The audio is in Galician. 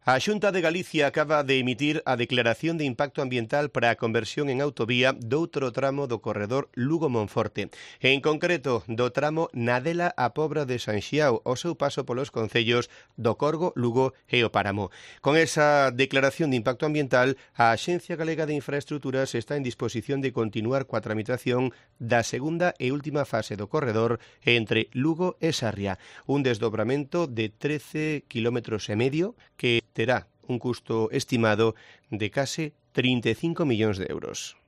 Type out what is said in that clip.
A Xunta de Galicia acaba de emitir a declaración de impacto ambiental para a conversión en autovía doutro tramo do corredor Lugo-Monforte, en concreto do tramo Nadela a Pobra de Sanxiao, ao seu paso polos concellos do Corgo, Lugo e o Páramo. Con esa declaración de impacto ambiental, a Axencia Galega de Infraestruturas está en disposición de continuar coa tramitación da segunda e última fase do corredor entre Lugo e Sarria, un desdobramento de 13,5 km que terá un custo estimado de case 35 millóns de euros.